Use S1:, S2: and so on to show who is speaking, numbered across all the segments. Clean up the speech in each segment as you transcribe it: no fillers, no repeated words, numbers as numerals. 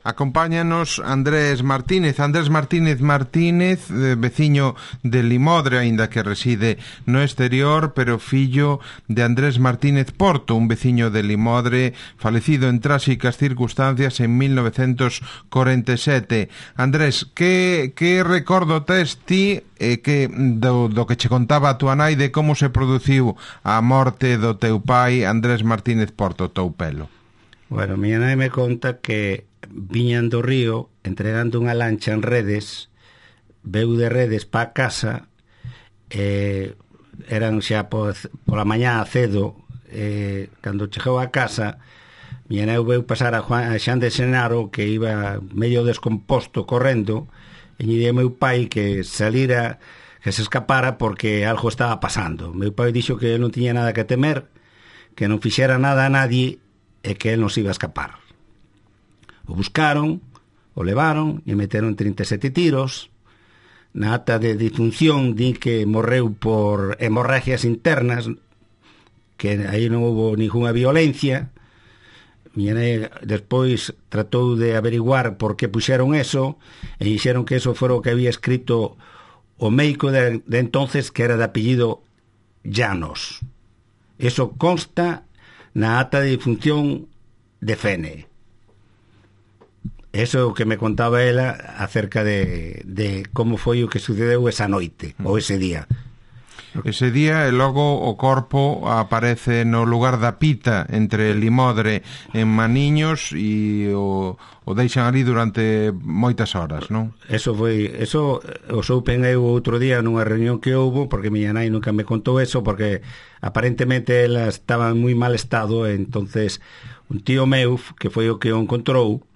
S1: Acompáñanos Andrés Martínez, veciño de Limodre, aínda que reside no exterior, pero fillo de Andrés Martínez Porto, un veciño de Limodre, falecido en tráxicas circunstancias en 1947. Andrés, que recordo tes ti do que che contaba a túa nai de como se produciu a morte do teu pai, Andrés Martínez Porto, teu pelo?
S2: Bueno, miña nai me conta que viñan do río entregando unha lancha en Redes, veu de Redes pa casa, eran xa pola mañá cedo, cando chegou a casa, miña nai veu pasar a Xan de Xenaro, que iba medio descomposto correndo, e lle meu pai que salira, que se escapara porque algo estaba pasando. Meu pai dixo que non tiña nada que temer, que non fixera nada a nadie e que él non se iba a escapar. O buscaron, o levaron e meteron 37 tiros. Na ata de difunción di que morreu por hemorragias internas, que aí non houve ninguna violencia. Miña nai despois tratou de averiguar por que puxeron eso e dixeron que eso fora o que había escrito o médico de entonces, que era de apellido Llanos. Eso consta na ata de difunción de Fene. Eso é o que me contaba ela acerca de como foi o que sucedeu esa noite, ou ese día.
S1: Ese día, e logo o corpo aparece no lugar da Pita, entre Limodre en Maniños, e o deixan ali durante moitas horas, non? Eso
S2: o soupen eu outro día nunha reunión que houbo, porque miña nai nunca me contou eso, porque aparentemente ela estaba en moi mal estado, e entonces un tío meu, que foi o que o encontrou,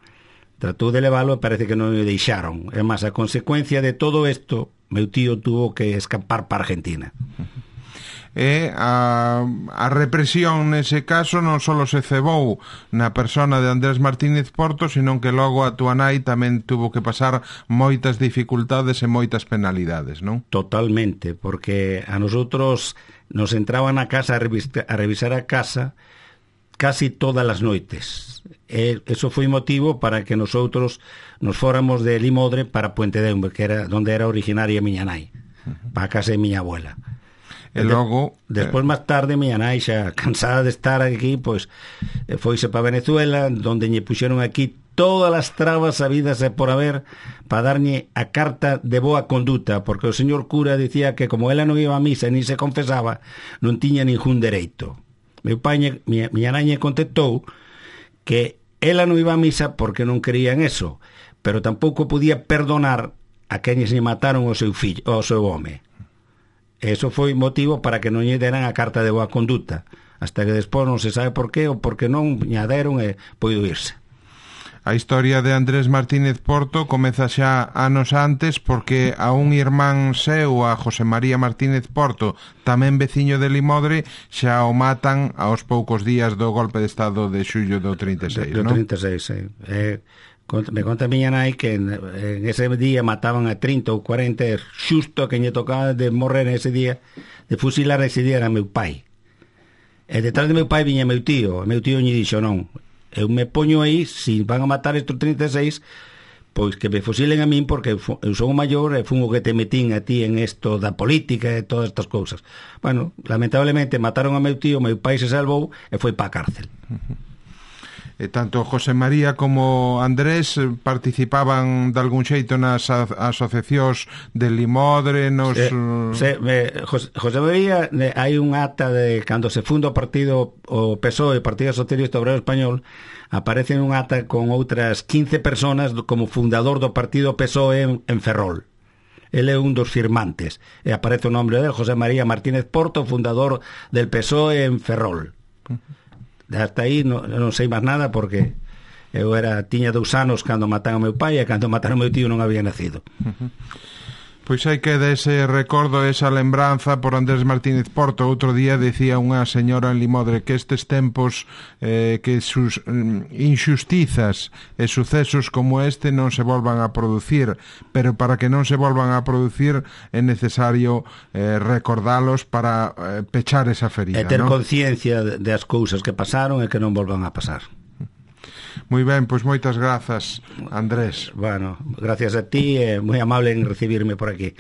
S2: tratou de leválo e parece que non o deixaron. É máis, a consecuencia de todo isto, meu tío tuvo que escapar para Argentina.
S1: A represión nese caso non só se cebou na persona de Andrés Martínez Porto, sino que logo a túa nai tamén tuvo que pasar moitas dificultades e moitas penalidades, non?
S2: Totalmente, porque a nosotros nos entraban a casa a revisar a casa casi todas as noites. Eso foi motivo para que nosotros nos fóramos de Limodre para Puente de Umbe, que era onde era originaria miña nai, para a casa de miña abuela.
S1: E logo
S2: despois máis tarde miña nai, xa cansada de estar aquí, pois foise para Venezuela, onde lle puxeron aquí todas as trabas habidas e por haber para darlle a carta de boa conduta, porque o señor cura dicía que como ela non iba a misa ni se confesaba, non tiña ningún dereito. Meu pai, miña nai contestou que ela non iba a misa porque non creía en eso, pero tampouco podía perdonar a quenes lle mataron o seu fillo, o seu home. Eso foi motivo para que non lle deran a carta de boa conduta, hasta que despois non se sabe por qué, ou porque non lle deron e poido irse.
S1: A historia de Andrés Martínez Porto comeza xa anos antes, porque a un irmán seu, a José María Martínez Porto, tamén veciño de Limodre, xa o matan aos poucos días do golpe de estado de xullo do 36, non?
S2: Do 36, me conta a miña nai que en ese día mataban a 30 ou 40, xusto que lle tocaba de morrer ese día, de fusilar ese día era meu pai. E detrás de meu pai viña meu tío lle dixo non, eu me poño aí, se van a matar estos 36, pois que me fusilen a min, porque eu son o maior e fun o que te metín a ti en esto da política e todas estas cousas. Bueno, lamentablemente mataron a meu tío, meu pai se salvou e foi para a cárcel.
S1: Tanto José María como Andrés participaban de algún xeito nas asociacións de Limodre,
S2: José María, hai un acta de cando se funda o partido, o PSOE, Partido Socialista Obrero Español, aparece un acta con outras 15 personas como fundador do partido PSOE en Ferrol. Ele é un dos firmantes e aparece o nombre del José María Martínez Porto, fundador del PSOE en Ferrol. Hasta aí non sei máis nada, porque eu tiña 2 anos cando mataron ao meu pai, e cando mataron ao meu tío non había nacido.
S1: Pois hai que ese recordo, esa lembranza por Andrés Martínez Porto. Outro día decía unha señora en Limodre que estes tempos, que sus injustizas e sucesos como este non se volvan a producir, pero para que non se volvan a producir é necesario recordalos para pechar esa ferida,
S2: e ter conciencia das cousas que pasaron e que non volvan a pasar.
S1: Moi ben, pois moitas grazas, Andrés.
S2: Bueno, gracias a ti, moi amable en recibirme por aquí.